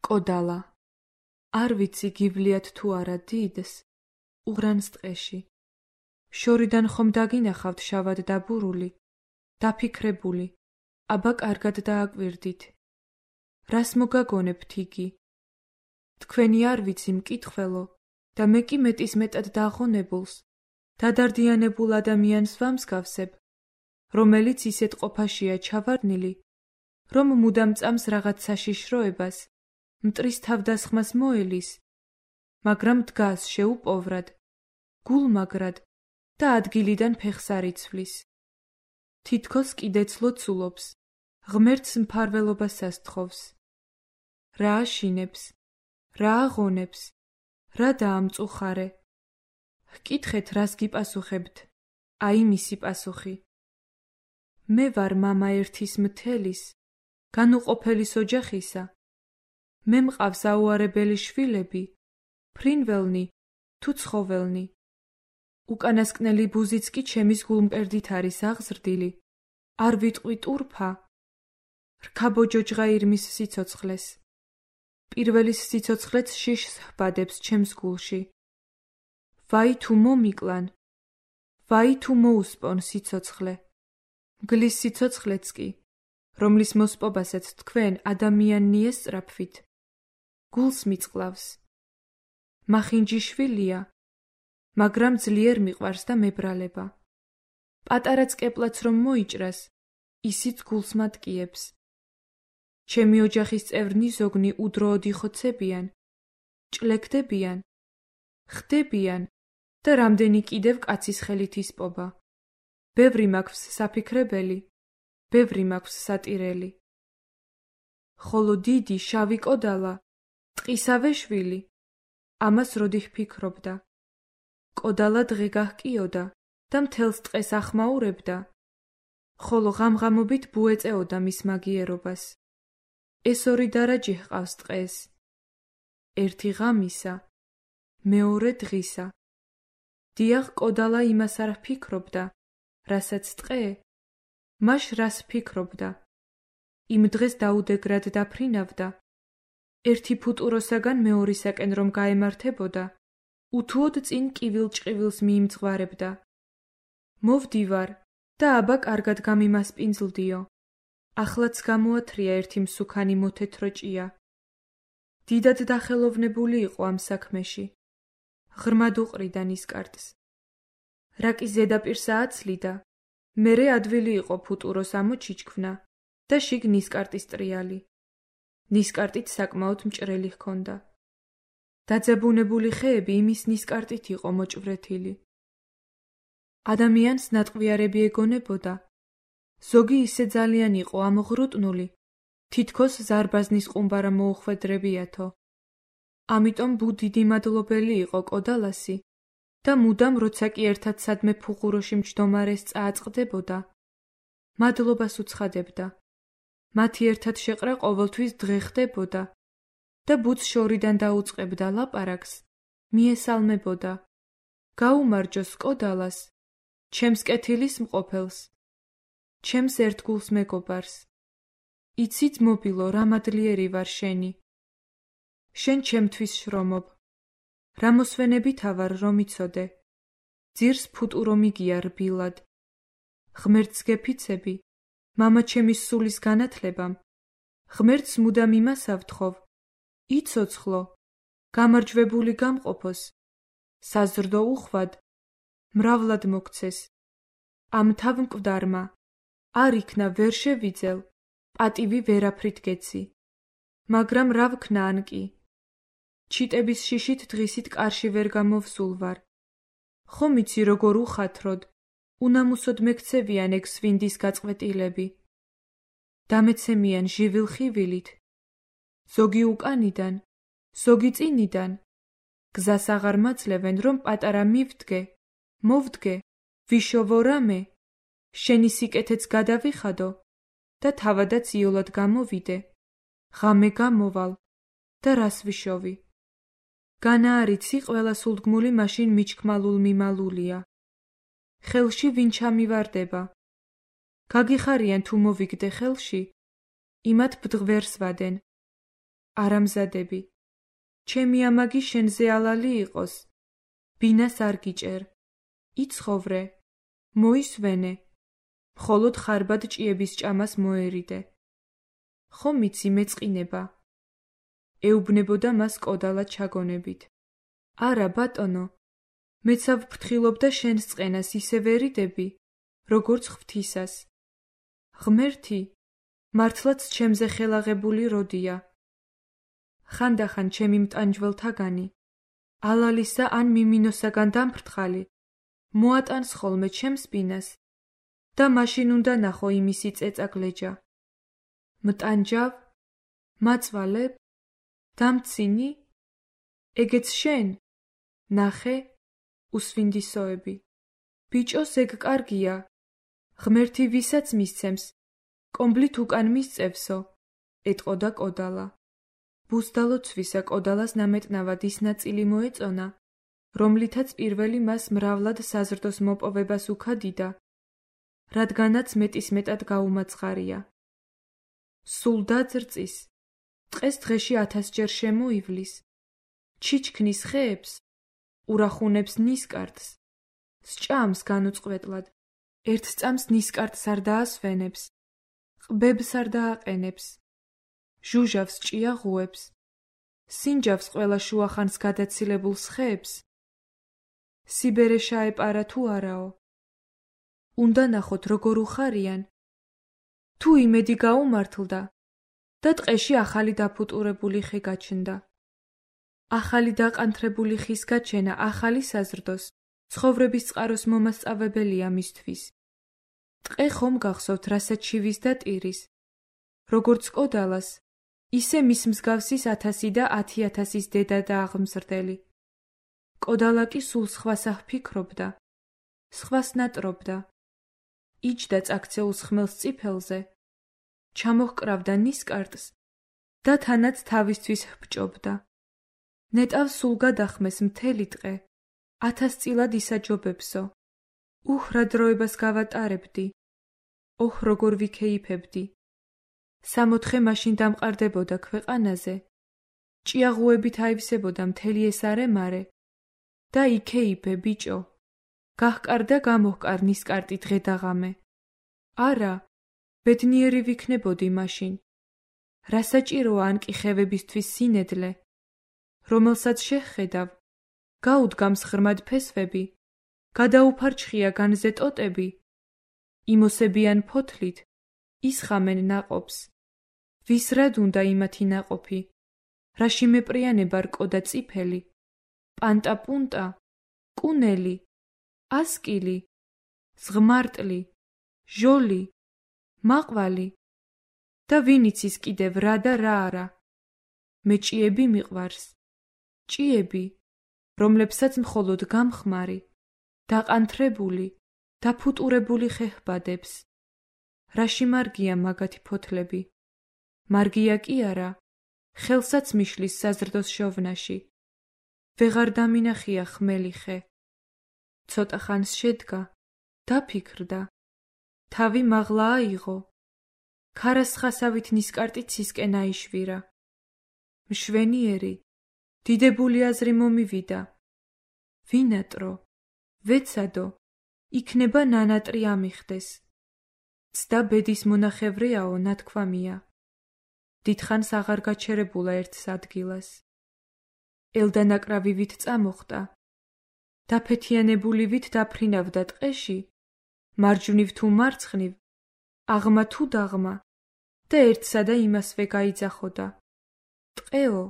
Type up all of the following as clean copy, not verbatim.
კოდალა. არ ვიცი გივლიათ თუ არა დიდს, უღრანს ტყეში. შორიდან ხომ დაგინახავთ შავად დაბურული, დაფიქრებული, აბა კარგად დააკვირდით. რას მოგაგონებთ იგი? თქვენი არ ვიცი მკითხველო და მე კი მეტის მეტად დაღონებულს, დადარდიანებულ ადამიანს ვამსგავსებ, რომელიც ისეთ ყოფაშია ჩავარდნილი, რომ მუდამ წამს რაღაც საშიშროებას, მტრის თავდასხმას მოელის, მაგრამ დგას შეუპოვრად, გულმაგრად და ადგილიდან ფეხს არ იცვლის. თითქოს კიდეც ლოცულობს, ღმერთს მფარველობას ასთხოვს. რა აშინებს, რა აღონებს, რა დაამწუხარე. ჰკითხეთ, რას გიპასუხებთ, აი მისი პასუხი. მე ვარ მამა ერთის მთელის, განუყოფელის ოჯახისა. მე მყავს აუარებელი შვილები, ფრინველნი თუ ცხოველნი. უკანასკნელი ბუზიც კი ჩემის გულმკერდით არის აღზრდილი, არ ვიტყვი ტურფა. რქაბოჯოჯღა ირმის სიცოცხლეს. პირველის სიცოცხლეც შიშს ჰბადებს ჩემს გულში. ვაი თუ მომიკლან, ვაი თუ მოუსპონ სიცოცხლე. მგლის სიცოცხლეც კი, რომლის მოსპობასაც თქვენ ადამიანნი ესწრაფვით, გულს მიწყლავს. მახინჯი შვილია, მაგრამ ძლიერ მიყვარს და მებრალება. პატარა წკეპლაც რომ მოიჭრას, ისიც გულს მატკიებს. ჩემი ოჯახის წევრნი ზოგნი უდროოდ იხოცებიან, ჭლექდებიან, ხდებიან და რამდენი კიდევ კაცის ხელით ისპობა. ბევრი მაქვს საფიქრებელი, ბევრი მაქვს სატირელი. ხოლო დიდი შავი კოდალა, ტყისავე შვილი, ამას როდი ჰფიქრობდა. კოდალა დღე გაჰკიოდა და მთელს ტყეს ახმაურებდა, ხოლო ღამღამობით ბუ ეწეოდა მის მაგიერობას. ეს ორი დარაჯი ჰყავს ტყეს. ერთი ღამისა, მეორე დღისა. დიახ, კოდალა იმას არ ჰფიქრობდა, რასაც ტყე, მაშ რას ფიქრობდა. იმ დღეს დაუდეგრად დაფრინავდა. ერთი ფუტუროსაგან მეორისაკენ რომ გაემართებოდა, უთუოდ წინ კივილ-ჭყივილს მიიმძღვარებდა. მოვდივარ და აბა კარგად გამიმასპინძლდიო. ახლაც გამოათრია ერთი მსუქანი მოთეთრო ჭია. დიდად დახელოვნებული იყო ამ საქმეში. ღრმად უყრიდა ნისკარტს. რაკის ზედაპირს ააცლიდა, მერე ადვილი იყო ფუტუროს ამოჩიჩქვნა და შიგ ნისკარტის ტრიალი. ნისკარტით საკმაოდ მჭრელი ჰქონდა. დაძაბუნებული ხეები იმის ნისკარტით იყო მოჭვრეთილი. ადამიანს ნატყვიარები ეგონებოდა. ზოგი ისე ძალიან იყო ამოღრუტნული, თითქოს ზარბაზნის ყუმბარა მოუხვედრებიათო. ამიტომ ბუ დიდი მადლობელი იყო კოდალასი და მუდამ როცა კი ერთად სადმე ფუღუროში მჯდომარეს წააწყდებოდა, მადლობას უცხადებდა. მათი ერთად შეყრა ყოველთვის დღე ხდებოდა და ბუც შორიდან დაუწყებდა ლაპარაკს, მიესალმებოდა. გაუმარჯოს კოდალას, ჩემს კეთილის მყოფელს, ჩემს ერთგულს მეგობარს. იცი ძმობილო, რა მადლიერი ვარ შენი. შენ ჩემთვის შრომობ. რა მოსვენებითა ვარ რომ იცოდე. ძირს ფუტურო მიგია რბილად. ღმერთს გეფიცები, მამა ჩემის სულის განათლებამ. ღმერთს მუდამ იმას ავთხოვ. იცოცხლო, გამარჯვებული გამყოფოს. საზრდო უხვად, მრავლად მოგცეს. ამ თავმკვდარმა არ იქნა ვერ შევიძელ, პატივი ვერაფრით გეცი. მაგრამ რა ვქნა ან კი? ჩიტების შიშით დღისით კარში ვერ გამოვსულ ვარ. ხომ იცი როგორ უხათროდ, უნამუსოდ მეკცევიან ეგ სვინდის გაწყვეტილები. დამეცემიან ჟივილ ხივილით. ზოგი უკანიდან, ზოგი წინიდან. გზას აღარ მაძლევენ რომ პატარა მივდგე, მოვდგე, ვიშოვო რამე, შენი სიკეთეც გადავიხადო და თავადაც იოლად გამოვიდე. ღამე გამოვალ და რას ვიშოვი. განა არიცი ყველა სულდგმული მაშინ მიჩქმალულ მიმალულია. ხელში ვინ ჩამივარდება. გაგიხარიან თუ მოვიგდე ხელში, იმათ ბდღვერს ვადენ. არამზადები, ჩემი ამაგი შენზე ალალი იყოს, ბინას არ გიჭერ, იცხოვრე, მოისვენე, მხოლოდ ხარბად ჭიების ჭამას მოერიდე. ხომ იცი მეწყინება, ეუბნებოდა მას კოდალა ჩაგონებით. არა, ბატონო, მეცავ ფრთხილობდა შენს წყენას ისე ვერიდები, როგორც ღვთისას. ღმერთი, მართლაც ჩემზე ხელაღებული როდია. ხანდახან ჩემი მტანჯველთაგანი, ალალისა ან მიმინოსაგან დამფრთხალი, მოატანს ხოლმე ჩემს ბინას და მაშინ უნდა ნახო იმისი წეწაგლეჯა. მტანჯავ, მაწვალებ, დამცინი, ეგეც შენ, ნახე, უსვინდისოები. ბიჭოს ეგ კარგია, ღმერთი ვისაც მისცემს, კომბლით უკან მისწევსო, ეტყოდა კოდალა. ბუზდალოცვისა კოდალას ნამეტნავად ის ნაწილი მოეწონა, რომლითაც პირველი მას მრავლად საზრდოს მოპოვებას უქადიდა, რადგანაც მეტისმეტად გაუმაცხარია. სულ დაძრწის, დღეს დღეში 1000 ჯერ შემოივლის, ჩიჩქნის ხეებს, ურახუნებს ნისკარტს, სჭამს განუწყვეტლად, ერთ წამს ნისკარტს არ დაასვენებს, ყბებს არ დააყენებს, ჟუჟავს ჭიაღუებს, სინჯავს ყველა შუახანს გადაცილებულს ხეებს. სიბერე შაეპარა თუ არაო. უნდა ნახოთ როგორ უხარიან. თუ იმედი გაუმართლდა და ტყეში ახალი დაფუტურებული ხე გაჩნდა. ახალი დაყანთრებული ხის გაჩენა ახალი საზრდოს, ცხოვრების წყაროს მომასწავებელია მისთვის. ტყე ხომ გახსოვთ რასაც შივის და ტირის, როგორც კოდალას, ისე მის მსგავსის 1000 და 10,000-ის დედა და აღმზრდელი. კოდალა კი სულ სხვას აღფიქრობდა, სხვას ნატრობდა, იჯდა წაქცეულს ხმელს წიფელზე, ჩამოჰკრავდა ნისკარტს და თანაც თავისთვის ჰბჭობდა. ნეტავს სულ გადახმეს მთელი ტყე, 1000 წილად ისაჯობებსო. უჰ, რა დროებას გავატარებდი, ოჰ, როგორ ვიქეიფებდი. 60 მაშინ დამყარდებოდა ქვეყანაზე, ჭიაღუებით აივსებოდა მთელი ეს არემარე და იქეიფე ბიჭო, გაჰკარ და გამოჰკარ ნისკარტი დღე და ღამე. არა, ბედნიერი ვიქნებოდი მაშინ. რა საჭიროა ან კი ხევებისთვის სინედლე, რომელსაც შეხედავ, გაუდგამს ღრმად ფესვები, გადაუფარჩხია განზე ტოტები, იმოსებიან ფოთლით, ისხამენ ნაყოფს. ვის რად უნდა იმათი ნაყოფი, რაში მეპრიანება რკო და წიფელი, პანტა პუნტა, კუნელი, ასკილი, ზღმარტლი, ჟოლი, მაყვალი და ვინ იცის კიდევ რა და რა არა. მე ჭიები მიყვარს, ჭიები, რომლებსაც მხოლოდ გამხმარი, დაყანთრებული, დაფუტურებული ხე ჰბადებს. რაში მარგია მაგათი ფოთლები? მარგია კი არა, ხელსაც მიშლის საზრდოს შოვნაში. ვეღარ დამინახია ხმელი ხე. ცოტა ხანს შედგა, დაფიქრდა. თავი მაღლა აიღო. ქარას ხასავით ნისკარტი ცისკენ აიშვირა. მშვენიერი, დიდებული აზრი მომივიდა. ვინატრო, ვეცადო, იქნება ნანატრი ამიხდეს. ცდა ბედის მონახევრეაო, ნათქვამია. დიდხანს აღარ გაჩერებულა ერთს ადგილას. ელდანაკრავი ვით წამოხტა. დაფეთიანებული ვით დაფრინავდა ტყეში, მარჯვნივ თუ მარცხნივ, აღმა თუ დაღმა და ერთსა და იმასვე გაიძახოდა. ტყეო,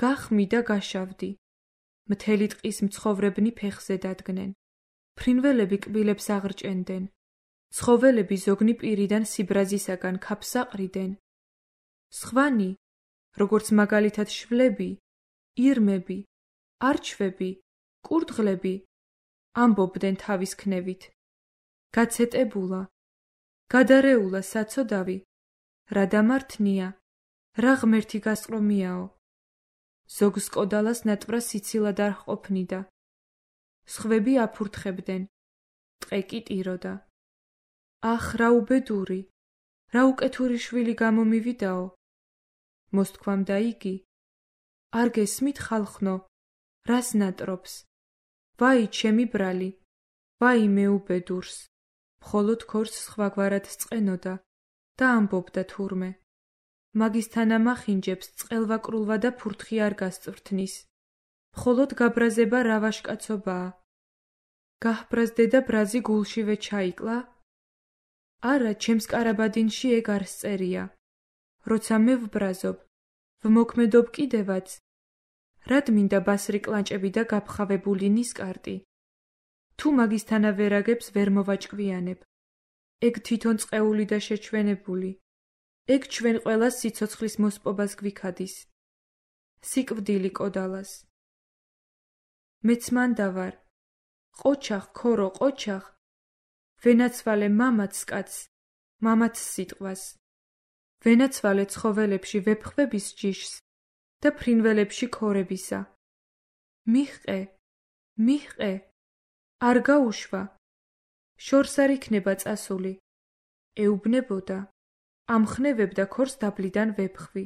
გახმი და გაშავდი. მთელი ტყის მცხოვრებნი ფეხზე დადგნენ. ფრინველები კბილებს აღრჭენდნენ. ცხოველები ზოგნი პირიდან სიბრაზისაგან ქაფს აყრიდნენ. სხვანი, როგორც მაგალითად შვლები, ირმები, არჩვები, კურდღლები, ამბობდნენ თავის ქნევით. გაცეტებულა, გადარეულა საცოდავი, რა დამართნია, რა ღმერთი გასყრომიაო. ზოგს კოდალას ნატვრა სიცილად არ ჰყოფნიდა. სხვები აფურთხებდნენ, ტყე კი ტიროდა. ახ, რა უბედური, რა უკეთური შვილი გამომივიდაო. მოსთქვამდა იგი. არ გესმით ხალხნო, რას ნატრობს? ვაი ჩემი ბრალი, ვაი მეუბედურს. მხოლოდ ქორს სხვაგვარად წყენოდა და ამბობდა თურმე. მაგის თანამახინჯებს წყელვაკრულვა და ფურთხი არ გასწვრთნის. მხოლოდ გაბრაზება რა ვაშკაცობაა. გაჰბრაზდე და ბრაზი გულშივე ჩაიკლა? არა, ჩემს კარაბადინში ეგ არ სწერია. როცა მე ვბრაზობ, ვმოქმედობ კიდევაც. რად მინდა ბასრი კლანჭები და გაფხავებული ნისკარტი? თუ მაგისთანავე რაგებს ვერ მოვაჭკვიანებ. ეგ თვითონ წყეული და შეჩვენებული. ეგ ჩვენ ყველას სიცოცხლის მოსპობას გვიქადის. სიკვდილი კოდალას. მეც მანდა ვარ. ყოჩახ, ქორო, ყოჩახ. ვენაცვალე მამაც კაცს, მამაც სიტყვას. ვენაცვალე ცხოველებში ვეფხვების ჯიშს და ფრინველებში ქორებისა. მიჰყე, მიჰყე, არ გაუშვა. შორს არ იქნება წასული. ეუბნებოდა, ამხნევებდა ქორს დაბლიდან ვეფხვი.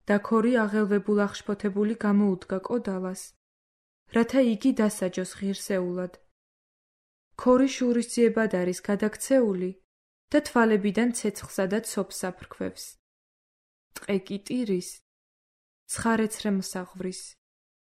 და ქორი აღელვებულ აღშფოთებული გამოუდგა კოდალას, რათა იგი დასაჯოს ღირსეულად. ქორი შურისძიებად არის გადაქცეული და თვალებიდან ცეცხლსა და ცოფს აფრქვევს. ტყე კი ტირის, ცხარეცრე მსაღვრის.